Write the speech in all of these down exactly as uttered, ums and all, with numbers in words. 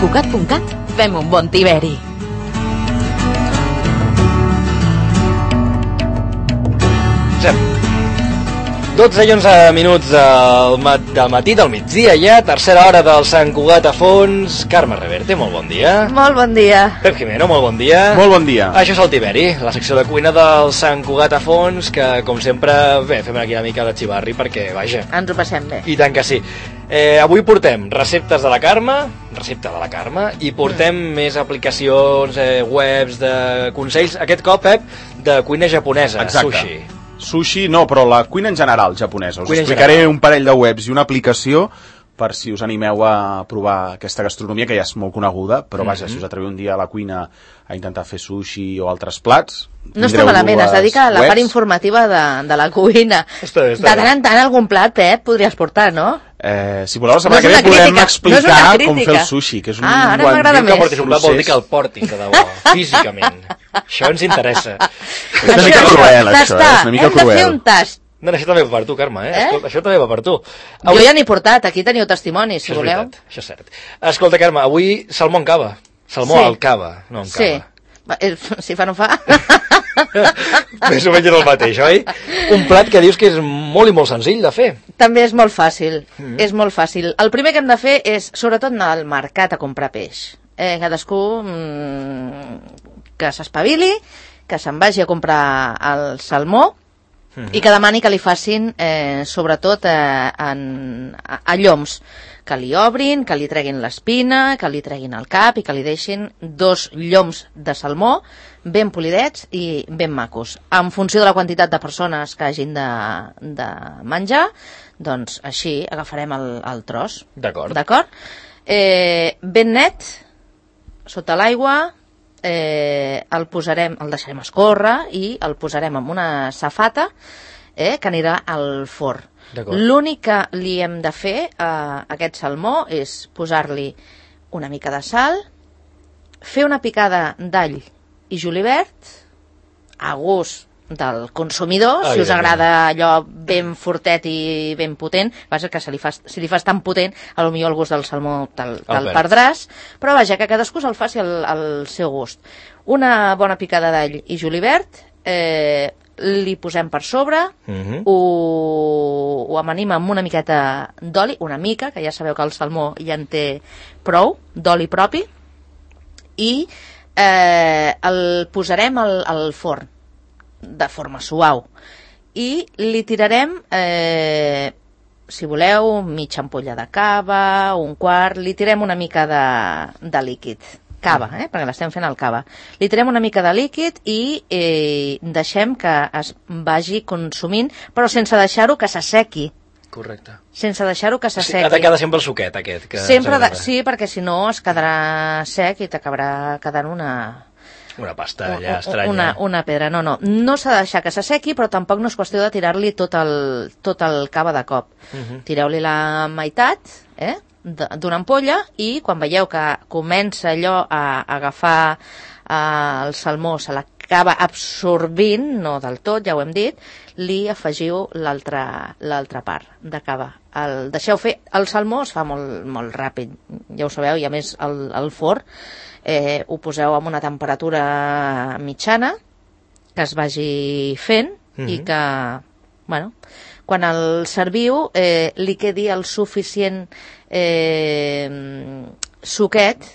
Cugat punt cat fem un bon tiberi. dotze i onze minuts del, mat del matí, del migdia ja, tercera hora del Sant Cugat a fons. Carme Reverte, molt bon dia. Molt bon dia. Pep Jimeno, molt bon dia. Molt bon dia. Això és el Tiberi, la secció de cuina del Sant Cugat a fons, que com sempre, bé, fem aquí una mica de xivarri perquè, vaja. Ens ho passem bé. I tant que sí. Eh, avui portem receptes de la Carme, recepta de la Carme, i portem mm. més aplicacions, eh, webs, de consells, aquest cop, Pep, de cuina japonesa, Exacte. sushi. Sushi no, però la cuina en general japonesa. Us Cuina explicaré general. un parell de webs i una aplicació per si us animeu a provar aquesta gastronomia, que ja és molt coneguda, però vaja, mm-hmm. si us atreveu un dia a la cuina a intentar fer sushi o altres plats... No està malament, es dedica a la part informativa de, de la cuina. Està bé, està de tant en tant algun plat, Pep, podries portar, no? Eh, si voleu, la setmana No que és ve una podem crítica, explicar no és una com fer el sushi, que és un Ah, ara bon- m'agrada Diu que més. portis un plat vol dir que el portis, de debò, físicament. Això ens interessa. És una mica cruel, això, eh? És una mica hem de fer cruel. un tast. No, això també va per tu, Carme, eh? Eh? Escolta, això també va per tu. Jo ja n'he portat, aquí teniu testimonis, si Això és voleu. veritat, això és cert. Escolta, Carme, avui salmó en cava. Salmó Sí. al cava, no en Sí. cava. Va, eh, Si fa no fa. Més o menys és el mateix, oi? Un plat que dius que és molt i molt senzill de fer. També és molt fàcil, Mm. és molt fàcil. El primer que hem de fer és, sobretot, anar al mercat a comprar peix. Eh, cadascú mm, que s'espavili, que se'n vagi a comprar el salmó, Mm. i que demani que li facin, eh, sobretot, eh, en, a, a lloms, que li obrin, que li treguin l'espina, que li treguin el cap i que li deixin dos lloms de salmó ben polidets i ben macos. En funció de la quantitat de persones que hagin de, de menjar, doncs així agafarem el, el tros. D'acord. D'acord? Eh, ben net, sota l'aigua, eh, el posarem, el deixarem escórrer i el posarem en una safata eh, que anirà al forn. D'acord. L'únic que li hem de fer a aquest salmó és posar-li una mica de sal, fer una picada d'all i julivert a gust del consumidor, si us agrada allò ben fortet i ben potent, vaja, que se li fas, si li fas tan potent, a lo millor el gust del salmó te'l, te'l perd. perdràs, però vaja, que cadascú se'l faci al, al seu gust. Una bona picada d'all i julivert, eh, li posem per sobre, Mhm. ho, ho amanim amb una miqueta d'oli, una mica, que ja sabeu que el salmó ja en té prou, d'oli propi, i eh, el posarem al, al forn de forma suau i li tirarem eh, si voleu mitja ampolla de cava, un quart, li tirem una mica de, de líquid cava, eh, perquè l'estem fent al cava, li tirem una mica de líquid i eh, deixem que es vagi consumint, però sense deixar-ho que s'assequi, Correcte. sense deixar-ho que Sí, s'assequi. ha de quedar sempre el suquet aquest. Que Sempre de, ens agrada. sí, perquè si no es quedarà sec i t'acabarà quedant una, Una pasta allà una, estranya. una, una pedra. No, no, no s'ha de deixar que s'assequi, però tampoc no és qüestió de tirar-li tot el, tot el cava de cop. Mhm. Tireu-li la meitat eh, de- d'una ampolla i quan veieu que comença allò a, a agafar eh, el salmó, se l'acaba absorbint, no del tot, ja ho hem dit, li afegiu l'altra l'altra part de cava. El deixeu fer. El salmó es fa molt, molt ràpid, ja ho sabeu, i a més el, el forn eh, ho poseu amb una temperatura mitjana que es vagi fent mm-hmm. i que, bueno, quan el serviu eh, li quedi el suficient eh, suquet,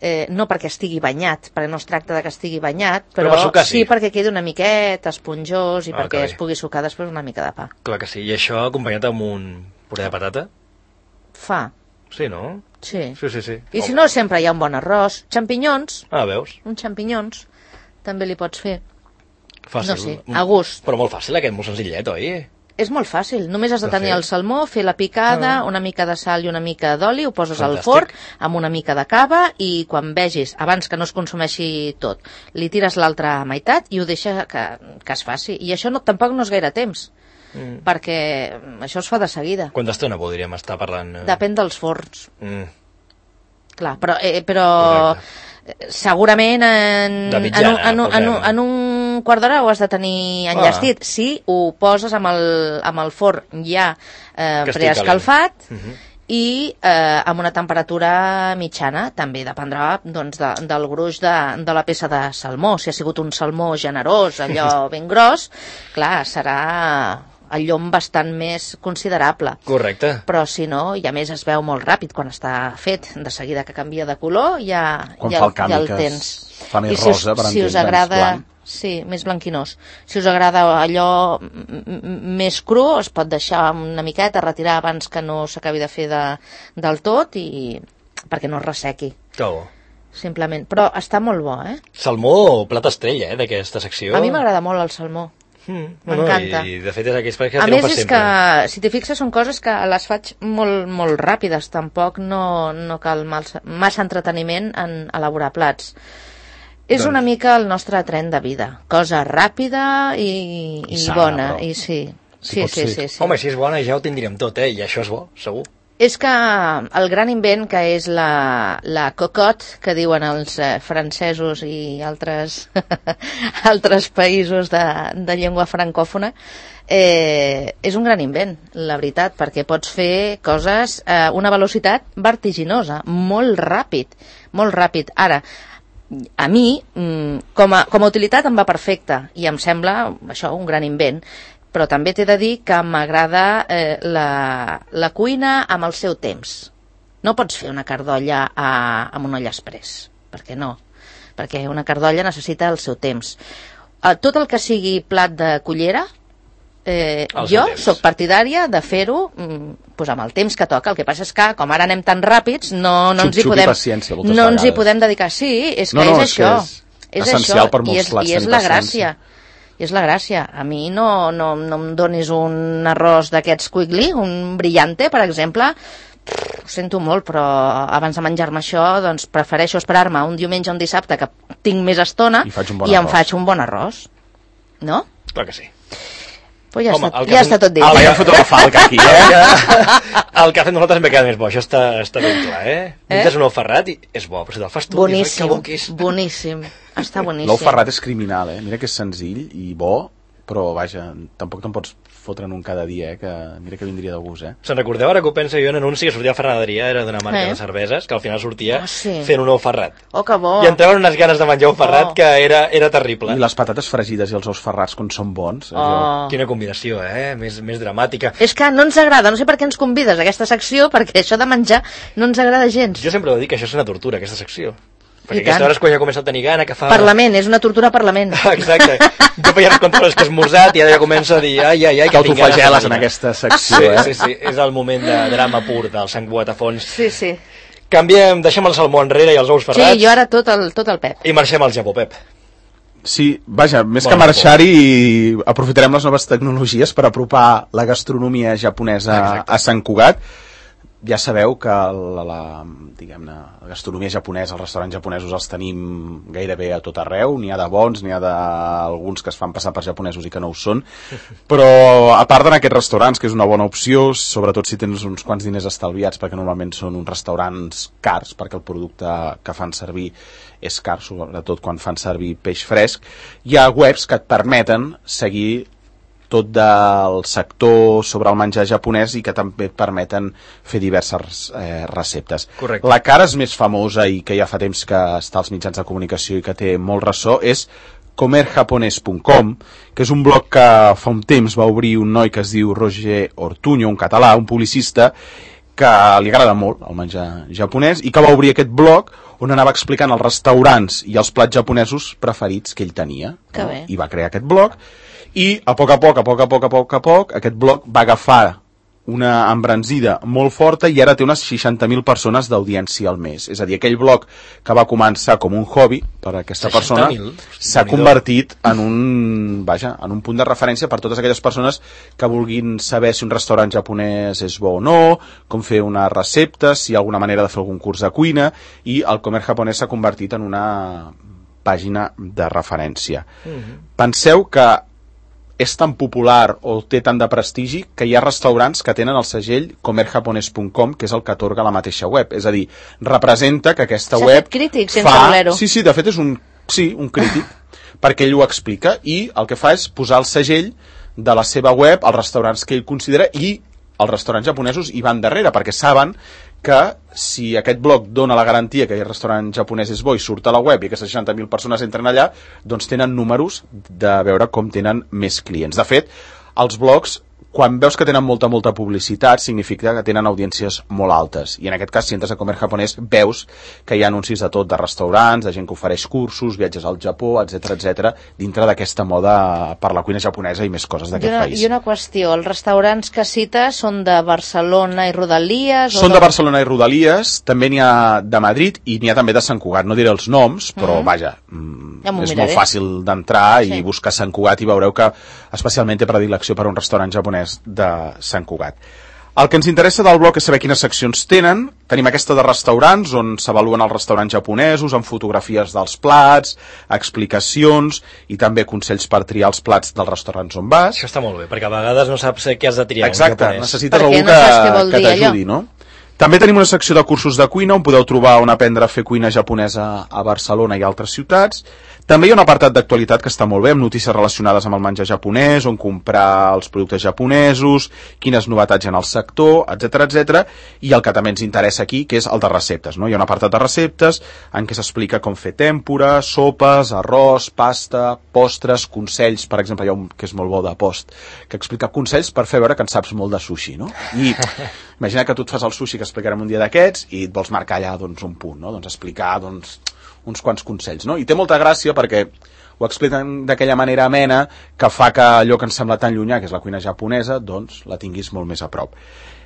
eh, no perquè estigui banyat, perquè no es tracta de que estigui banyat, Però però, per sucar, sí. sí perquè quedi una miqueta esponjós i Ah, perquè que bé. es pugui sucar després una mica de pa. Clar que sí. I això acompanyat amb un puré de patata? Fa, Sí, no? sí. Sí, sí, sí. I si no, sempre hi ha un bon arròs. Xampinyons, Ah, veus? uns xampinyons, també li pots fer. Fàcil. No sé, a gust. Però molt fàcil aquest, molt senzillet, oi? És molt fàcil, només has de De tenir fer. el salmó, fer la picada, Ah. una mica de sal i una mica d'oli, ho poses al Fantàstic. forn amb una mica de cava i quan vegis, abans que no es consumeixi tot, li tires l'altra meitat i ho deixa que, que es faci. I això no, tampoc no és gaire temps, Mm. perquè això es fa de seguida. Quanta estona podríem estar parlant? eh? Depèn dels forns, Mm. clar, però, eh, però segurament en, De mitjana, en, un, en, un, en, un, posem. en un quart d'hora ho has de tenir enllestit. Si ho poses amb el, amb el forn ja eh, Que estigui preescalfat, calent. Mhm. i eh, amb una temperatura mitjana. També dependrà doncs, de, del gruix de, de la peça de salmó. Si ha sigut un salmó generós, allò ben gros, clar, serà el llom bastant més considerable. Correcte. Però si no, i a més es veu molt ràpid quan està fet, de seguida que canvia de color ja, quan ja, fa el canvi, ja el que tens. Fa més I si rosa, us, per si us entendre'ns, agrada, blanc. sí, més blanquinós. Si us agrada allò més cru, es pot deixar una miqueta, retirar abans que no s'acabi de fer de, del tot, i perquè no es ressequi. Que bo. Simplement. Però està molt bo, eh? Salmó, plat estrella, eh, d'aquesta secció. A mi m'agrada molt el salmó. Mm, m'encanta. No, I de fet és aquells que a no més fas és sempre. que, si t'hi fixes, són coses que les faig molt, molt ràpides, tampoc no, no cal massa, massa entreteniment en elaborar plats. És doncs... una mica el nostre tren de vida, cosa ràpida i, i, I sana, bona, però. i sí. Si Sí, pot sí, ser. sí, sí. Home, si és bona ja ho tindríem tot, eh? I això és bo, segur. És que el gran invent que és la, la cocotte, que diuen els eh, francesos i altres, altres països de, de llengua francòfona, eh, és un gran invent, la veritat, perquè pots fer coses a una velocitat vertiginosa, molt ràpid, molt ràpid. Ara, a mi, com a, com a utilitat em va perfecte i em sembla això un gran invent, però també t'he de dir que m'agrada eh, la, la cuina amb el seu temps. No pots fer una cardolla a, amb un olla express, perquè no, perquè una cardolla necessita el seu temps. Eh, tot el que sigui plat de cullera, eh, jo sóc partidària de fer-ho mm, pues amb el temps que toca. El que passa és que, com ara anem tan ràpids, no, no ens hi podem, no ens hi podem dedicar. Sí, és que no, no, és això. És, és essencial això, per molts i és, plats i és tenir la paciència. gràcia. I és la gràcia. A mi no, no, no em donis un arròs d'aquests quickly, un brillante, per exemple. Pff, ho sento molt, però abans de menjar-me això, doncs prefereixo esperar-me un diumenge o un dissabte que tinc més estona i, faig un bon i em arròs. faig un bon arròs. No? Clar que sí. Pues ja, Home, està, el que ja fem- està tot dit. Ah, ja hem fotut la falca aquí, eh? El que ha fet nosaltres m'he quedat més bo, això està, està ben clar, eh? Menges un ou ferrat i és bo, però si te'l fas tu... Boníssim, que bo que és. boníssim. Està boníssim. L'ou ferrat és criminal, eh? Mira que és senzill i bo, però vaja, tampoc te'n pots fotre'n un cada dia, eh? Que mira que vindria de gust, eh? Se'n recordeu ara que ho penso jo en anunci que sortia a Ferran Adrià, era d'una marca Eh? de cerveses, que al final sortia Oh, sí. fent un ou ferrat. Oh, que bo. I em treuen unes ganes de menjar ou ferrat Oh. que era, era terrible. I les patates fregides i els ous ferrats, quan són bons... Oh. allò- Quina combinació, eh? Més, més dramàtica. És que no ens agrada, no sé per què ens convides a aquesta secció, perquè això de menjar no ens agrada gens. Jo sempre ho dic que això és una tortura, aquesta secció. Perquè I aquesta tant. hora és quan ja comença a tenir gana, que fa... Parlament, és una tortura parlament. Exacte. Jo feia les controles que he esmorzat i ara ja començo a dir ai, ai, ai, que tinc ganes de T'autofageles en menjar. aquesta Sí, secció, eh? sí, sí, és el moment de drama pur del sang Boatafons. Sí, sí. Canviem, deixem el salmó enrere i els ous ferrats Sí, jo ara tot el, tot el pep. i marxem al Japó, Pep. Sí, vaja, més Bon que marxar-hi, aprofitarem les noves tecnologies per apropar la gastronomia japonesa Exacte. a Sant Cugat. Ja sabeu que la, la, diguem-ne, la gastronomia japonesa, els restaurants japonesos els tenim gairebé a tot arreu, n'hi ha de bons, n'hi ha d'alguns que es fan passar per japonesos i que no ho són, però a part en aquests restaurants, que és una bona opció, sobretot si tens uns quants diners estalviats, perquè normalment són uns restaurants cars, perquè el producte que fan servir és car, sobretot quan fan servir peix fresc, hi ha webs que et permeten seguir tot del sector sobre el menjar japonès i que també et permeten fer diverses eh, receptes. Correcte. La cara és més famosa i que ja fa temps que està als mitjans de comunicació i que té molt ressò és comer japonès punt com, que és un blog que fa un temps va obrir un noi que es diu Roger Ortuño, un català, un publicista, que li agrada molt el menjar japonès i que va obrir aquest blog on anava explicant els restaurants i els plats japonesos preferits que ell tenia. Que no? bé. I va crear aquest blog i a poc a poc, a poc a poc, a poc a poc, aquest blog va agafar una embranzida molt forta i ara té unes seixanta mil persones d'audiència al mes. És a dir, aquell blog que va començar com un hobby per a aquesta persona seixanta mil? s'ha Déu-n'hi-do. convertit en un, vaja, en un punt de referència per totes aquelles persones que vulguin saber si un restaurant japonès és bo o no, com fer una recepta, si hi ha alguna manera de fer algun curs de cuina, i el Comer Japonès s'ha convertit en una pàgina de referència. Mhm. Penseu que és tan popular o té tant de prestigi que hi ha restaurants que tenen el segell comer japonès punt com, que és el que atorga la mateixa web. És a dir, representa que aquesta S'ha web fet crític sense fa... voler-ho. Sí, sí, de fet és un, sí, un crític, perquè ell ho explica i el que fa és posar el segell de la seva web als restaurants que ell considera i els restaurants japonesos hi van darrere, perquè saben que si aquest blog dona la garantia que el restaurant japonès és bo i surt a la web i aquestes seixanta mil persones entren allà, doncs tenen números de veure com tenen més clients. De fet, els blogs, quan veus que tenen molta, molta publicitat, significa que tenen audiències molt altes. I en aquest cas, si entres a Comer Japonès, veus que hi ha anuncis de tot, de restaurants, de gent que ofereix cursos, viatges al Japó, etcètera, etcètera, dintre d'aquesta moda per la cuina japonesa i més coses d'aquest país. I una qüestió, els restaurants que cites són de Barcelona i Rodalies? Són de Barcelona i Rodalies, també n'hi ha de Madrid i n'hi ha també de Sant Cugat. No diré els noms, però mm. vaja, ja és miraré. molt fàcil d'entrar sí. i buscar Sant Cugat i veureu que especialment té predilecció per un restaurant japonès de Sant Cugat. El que ens interessa del blog és saber quines seccions tenen. Tenim aquesta de restaurants, on s'avaluen els restaurants japonesos, amb fotografies dels plats, explicacions i també consells per triar els plats dels restaurants on vas. Això està molt bé, perquè a vegades no saps què has de triar. Exacte, necessites perquè algú no que, que t'ajudi, no? També tenim una secció de cursos de cuina on podeu trobar on aprendre a fer cuina japonesa a Barcelona i altres ciutats. També hi ha un apartat d'actualitat que està molt bé, amb notícies relacionades amb el menjar japonès, on comprar els productes japonesos, quines novetats hi ha en el sector, etcètera, etcètera, i el que també ens interessa aquí, que és el de receptes, no? Hi ha un apartat de receptes en què s'explica com fer tèmpora, sopes, arròs, pasta, postres, consells, per exemple, hi ha un que és molt bo de post, que explica consells per fer veure que en saps molt de sushi, no? I imagina que tu et fas el sushi que explicarem un dia d'aquests i et vols marcar allà doncs, un punt, no? Doncs explicar doncs, uns quants consells, no? I té molta gràcia perquè ho expliquen d'aquella manera amena que fa que allò que ens sembla tan llunyà, que és la cuina japonesa, doncs la tinguis molt més a prop.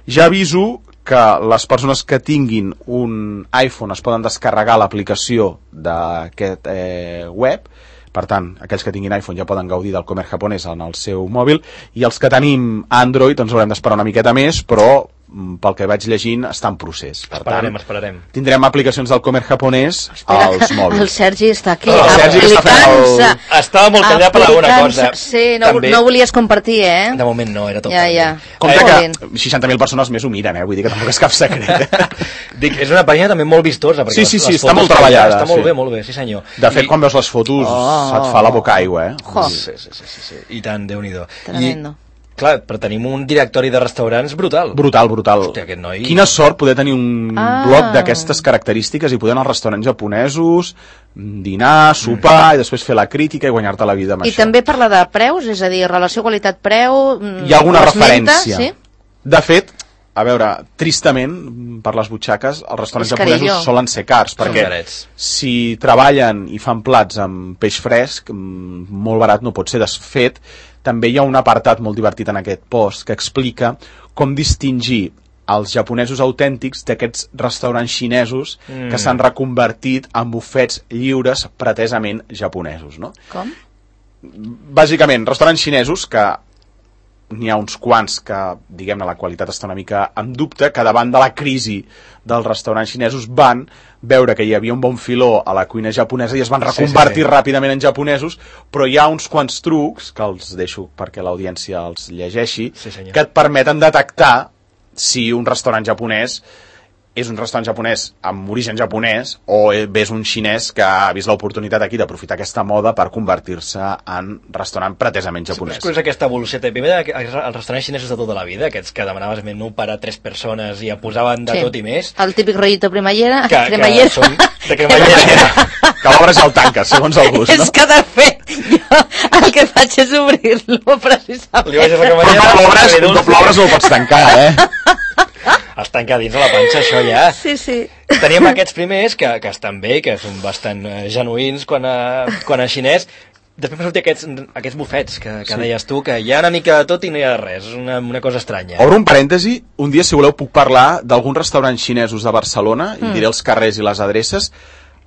Ja aviso que les persones que tinguin un iPhone es poden descarregar l'aplicació d'aquest eh, web. Per tant, aquells que tinguin iPhone ja poden gaudir del Comer Japonès en el seu mòbil, i els que tenim Android ens haurem d'esperar una miqueta més, però pel que vaig llegint està en procés. Per esperarem, tant, esperarem. Tindrem aplicacions del Comer Japonès Espera, als mòbils. El Sergi està aquí, oh, aplicant-se. El... Estava molt callat per alguna cosa. Sí, no, no volies compartir, eh? De moment no, era tot. Ja, ja. Compte que seixanta mil persones més ho miren, eh? Vull dir que tampoc és cap secret. Dic, és una pàgina també molt vistosa. Sí, sí, sí, les està molt treballada. Està molt sí. bé, molt bé, sí senyor. De fet, I... quan veus les fotos oh. et fa la boca aigua, eh? Oh. Sí, sí, sí, sí, sí. I tant, Déu-n'hi-do. Tremendo. I... Clar, però tenim un directori de restaurants brutal. Brutal, brutal. Hòstia, aquest noi... Quina sort poder tenir un ah. blog d'aquestes característiques i poder anar als restaurants japonesos, dinar, sopar mm. i després fer la crítica i guanyar-te la vida amb I això. I també parla de preus, és a dir, relació qualitat-preu... Hi ha alguna referència. Sí? De fet, a veure, tristament, per les butxaques, els restaurants japonesos solen ser cars, perquè si treballen i fan plats amb peix fresc, molt barat no pot ser. De fet, també hi ha un apartat molt divertit en aquest post que explica com distingir els japonesos autèntics d'aquests restaurants xinesos mm. que s'han reconvertit en bufets lliures pretesament japonesos, no? Com? Bàsicament, restaurants xinesos que n'hi ha uns quants que, diguem-ne, la qualitat està una mica en dubte, que davant de la crisi dels restaurants xinesos van veure que hi havia un bon filó a la cuina japonesa i es van reconvertir sí, sí, sí. ràpidament en japonesos, però hi ha uns quants trucs, que els deixo perquè l'audiència els llegeixi, sí, que et permeten detectar si un restaurant japonès és un restaurant japonès amb origen japonès o és un xinès que ha vist l'oportunitat aquí d'aprofitar aquesta moda per convertir-se en restaurant pretesament japonès. Sí, és aquesta evolució. Primer, els restaurants xinesos de tota la vida, aquests que demanaves menú per a tres persones i et posaven de sí. tot i més. El típic rollito cremallera. Que, cremallera. que són de cremallera. Que l'obres ja el tanques, segons el gust, no? És que de fet, jo el que faig és obrir-lo, precisament. Li vaig a la cremallera. Un cop l'obres no el pots tancar, eh? Els tanca dins de la panxa, això ja. Sí, sí. Teníem aquests primers, que, que estan bé, que són bastant uh, genuïns quan a, quan a xinès. Després m'ha sortit aquests, aquests bufets que, que sí. deies tu, que hi ha una mica de tot i no hi ha res. És una, una cosa estranya. Obro un parèntesi. Un dia, si voleu, puc parlar d'alguns restaurants xinesos de Barcelona, mm. i diré els carrers i les adreces,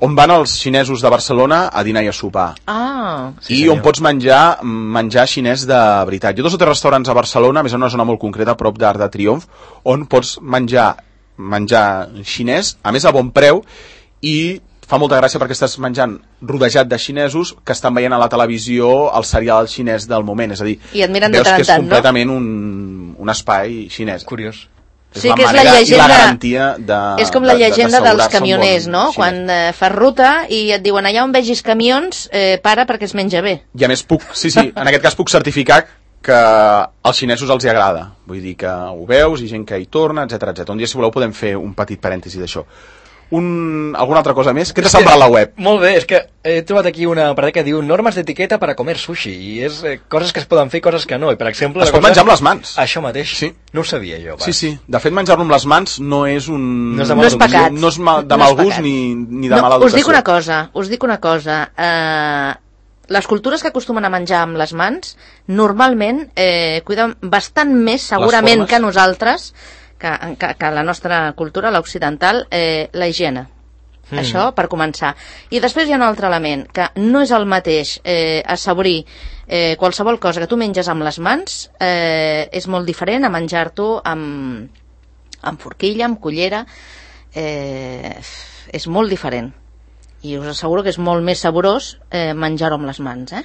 on van els xinesos de Barcelona a dinar i a sopar. Ah, sí, I senyor. On pots menjar menjar xinès de veritat. Jo he dos o tres restaurants a Barcelona, a més en una zona molt concreta, a prop d'Arc de Triomf, on pots menjar menjar xinès, a més a bon preu, i fa molta gràcia perquè estàs menjant rodejat de xinesos que estan veient a la televisió el serial xinès del moment. És a dir, I et miren de veus tant que és tant, completament no? un, un espai xinès. Curiós. És sí, la que és la llegenda, i la garantia de... És com la llegenda de, de dels camioners, bon no? xinès. Quan eh, fas ruta i et diuen allà on vegis camions, eh, para perquè es menja bé. I a més puc, sí, sí, en aquest cas puc certificar que als xinesos els hi agrada. Vull dir que ho veus i gent que hi torna, etcètera, etcètera. Un dia, si voleu, podem fer un petit parèntesi d'això. Un... Alguna altra cosa més? Què t'ha semblat la web? Molt bé, és que he trobat aquí una apartat que diu normes d'etiqueta per a comer sushi, i és eh, coses que es poden fer i coses que no, i per exemple... Es pot cosa... menjar amb les mans. Això mateix, sí. No ho sabia jo. Pas. Sí, sí, de fet menjar-lo amb les mans no és un... No és, no és pecat. No és mal, de no mal és gust ni, ni de no, mala educació. Us dic una cosa, us dic una cosa, eh, les cultures que acostumen a menjar amb les mans normalment eh, cuiden bastant més segurament que nosaltres, que, que, que la nostra cultura, l'occidental, eh, la higiene. Mm. Això per començar. I després hi ha un altre element, que no és el mateix eh, assaborir eh, qualsevol cosa que tu menges amb les mans, eh, és molt diferent a menjar-t'ho amb, amb forquilla, amb cullera, eh, és molt diferent. I us asseguro que és molt més saborós eh, menjar-ho amb les mans, eh?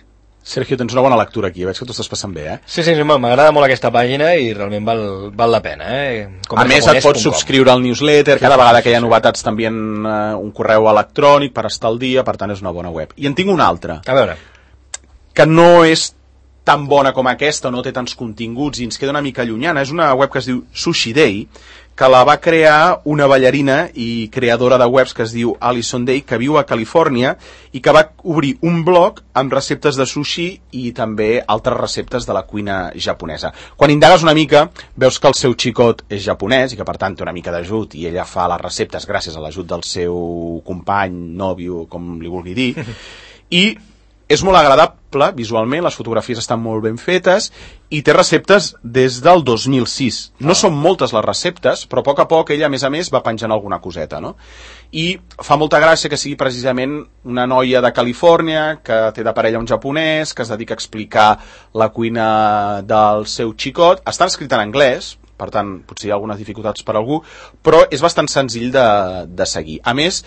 Sergio, tens una bona lectura aquí, veig que t'ho estàs passant bé, eh? Sí, sí, m'agrada molt aquesta pàgina i realment val, val la pena, eh? Com a més, et pots subscriure al newsletter, sí, cada vegada que hi ha novetats també en uh, un correu electrònic per estar al dia, per tant és una bona web. I en tinc una altra. A veure. Que no és tan bona com aquesta, no té tants continguts i ens queda una mica llunyana. És una web que es diu Sushi Day, que la va crear una ballarina i creadora de webs que es diu Alison Day, que viu a Califòrnia i que va obrir un blog amb receptes de sushi i també altres receptes de la cuina japonesa. Quan indagues una mica, veus que el seu xicot és japonès i que per tant té una mica d'ajut i ella fa les receptes gràcies a l'ajut del seu company, nòvio, com li vulgui dir, i és molt agradable visualment, les fotografies estan molt ben fetes i té receptes des del dos mil sis. No són moltes les receptes, però a poc a poc ella, a més a més, va penjant alguna coseta, no? I fa molta gràcia que sigui precisament una noia de Califòrnia que té de parella un japonès, que es dedica a explicar la cuina del seu xicot. Està escrita en anglès, per tant, potser hi ha algunes dificultats per a algú, però és bastant senzill de, de seguir. A més,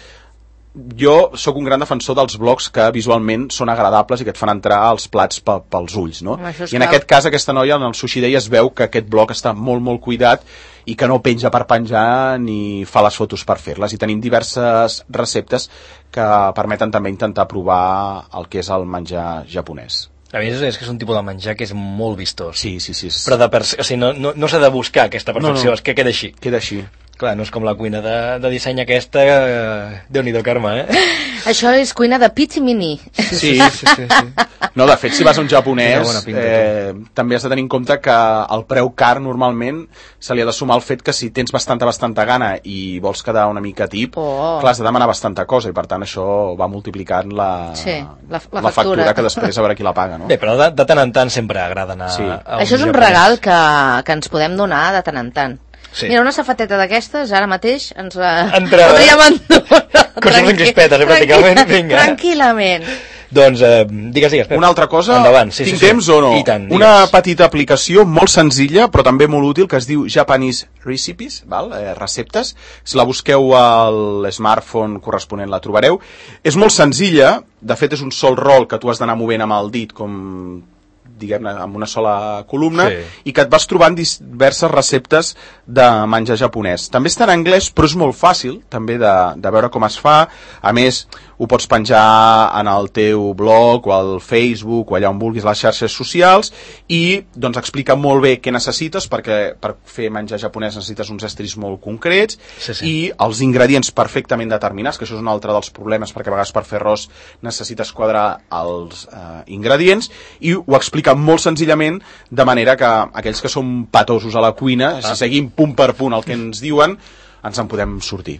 jo sóc un gran defensor dels blogs que visualment són agradables i que et fan entrar als plats pe, pels ulls, no? I en aquest cas aquesta noia en el Sushi Day es veu que aquest blog està molt molt cuidat i que no penja per penjar ni fa les fotos per fer-les, i tenim diverses receptes que permeten també intentar provar el que és el menjar japonès. A més, és que és un tipus de menjar que és molt vistós. Sí, sí, sí. Però de per... o sigui, no, no, no s'ha de buscar aquesta perfecció, no, no. És que queda així. Queda així. Clar, no és com la cuina de, de disseny aquesta, eh, Déu-n'hi-do, Carme, eh? Això és cuina de pizza mini. Sí, sí, sí, sí, sí. No, de fet, si vas a un japonès, pinta, eh, també has de tenir en compte que el preu car normalment se li ha de sumar el fet que si tens bastanta, bastanta gana i vols quedar una mica tip, oh. clar, has de demanar bastanta cosa i per tant això va multiplicant la, sí, la, la, la factura. factura que després a veure qui la paga, no? Bé, però de, de tant en tant sempre agrada anar sí. a un Això és un japonès. regal que, que ens podem donar de tant en tant. Sí. Mira, una safateta d'aquestes, ara mateix ens la Entrada. podríem endonar. Coses en crispetes, eh, pràcticament. Vinga. Tranquil·lament. Doncs, eh, digues, digues. Pep. Una altra cosa, endavant, sí, tinc sí, sí. temps o no? I tant, una petita aplicació molt senzilla, però també molt útil, que es diu Japanese Recipes, val? Eh, receptes. Si la busqueu al smartphone corresponent la trobareu. És molt senzilla, de fet és un sol rol que tu has d'anar movent amb el dit, com diguem-ne, amb una sola columna, sí. I que et vas trobant diverses receptes de menjar japonès. També està en anglès, però és molt fàcil també de, de veure com es fa. A més, ho pots penjar en el teu blog o al Facebook o allà on vulguis, les xarxes socials, i doncs explica molt bé què necessites, perquè per fer menjar japonès necessites uns estris molt concrets, sí, sí. I els ingredients perfectament determinats, que això és un altre dels problemes, perquè a vegades per fer arròs necessites quadrar els eh, ingredients, i ho explica molt senzillament, de manera que aquells que som patosos a la cuina, ah. si seguim punt per punt el que ens diuen, ens en podem sortir.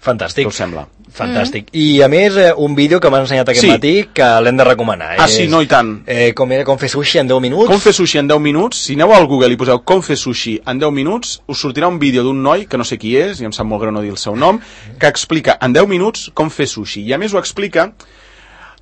Fantàstic. Què us sembla? Fantàstic. Mm. I a més, eh, un vídeo que m'han ensenyat aquest sí. matí que l'hem de recomanar. Ah, és, sí, no, i tant. Eh, com era com fer sushi en deu minuts. Com fer sushi en deu minuts. Si aneu al Google i poseu com fer sushi en deu minuts, us sortirà un vídeo d'un noi, que no sé qui és, i em sap molt greu no dir el seu nom, que explica en deu minuts com fer sushi. I a més ho explica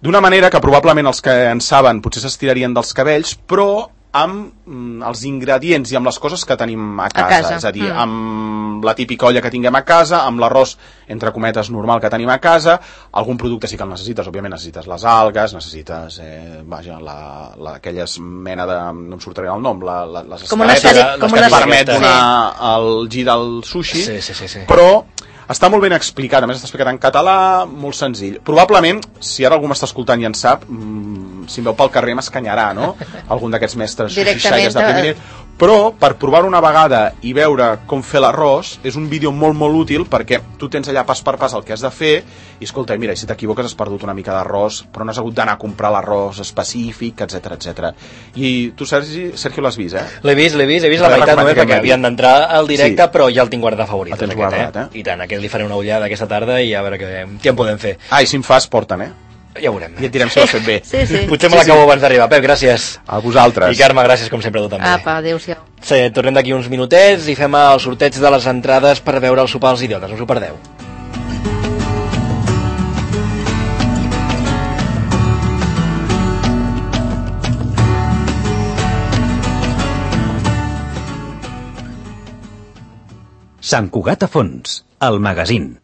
d'una manera que probablement els que en saben potser s'estirarien dels cabells, però amb mm, els ingredients i amb les coses que tenim a casa, a casa. És a dir, mm. amb la típica olla que tinguem a casa, amb l'arròs, entre cometes, normal que tenim a casa, algun producte sí que el necessites, òbviament necessites les algues, necessites, eh, vaja, la, la, aquelles mena de, no em sortirà el nom, la, la, les com una escaletes sèrie, com que una et permet sí. una, el gir del sushi, sí, sí, sí, sí. però està molt ben explicat, a més està explicat en català, molt senzill. Probablement, si ara algú m'està escoltant i en sap, mmm, si em veu pel carrer m'escanyarà, no? Algun d'aquests mestres xixaires de primer nivell. Però, per provar-ho una vegada i veure com fer l'arròs, és un vídeo molt, molt útil perquè tu tens allà pas per pas el que has de fer i, escolta, mira, si t'equivoques has perdut una mica d'arròs, però no has hagut d'anar a comprar l'arròs específic, etcètera, etcètera. I tu, Sergi, Sergio, l'has vist, eh? L'he vist, l'he vist, he vist la meitat només perquè havien d'entrar al directe, sí. Però ja el tinc guardat favorit. El tens guardat, eh? I tant, aquest li faré una ullada aquesta tarda i a veure què, què en podem fer. Ah, i si em fas, porten, eh? Ja ho veurem. I et direm si ho has fet bé. Sí, sí. Potser me l'acabo sí, sí. abans d'arribar. Pep, gràcies. A vosaltres. I Carme, gràcies com sempre a tu també. Apa, adéu-siau. Sí, tornem d'aquí uns minutets i fem el sorteig de les entrades per veure el sopar als idiotes. No us ho perdeu. Sant Cugat a fons, el magazín.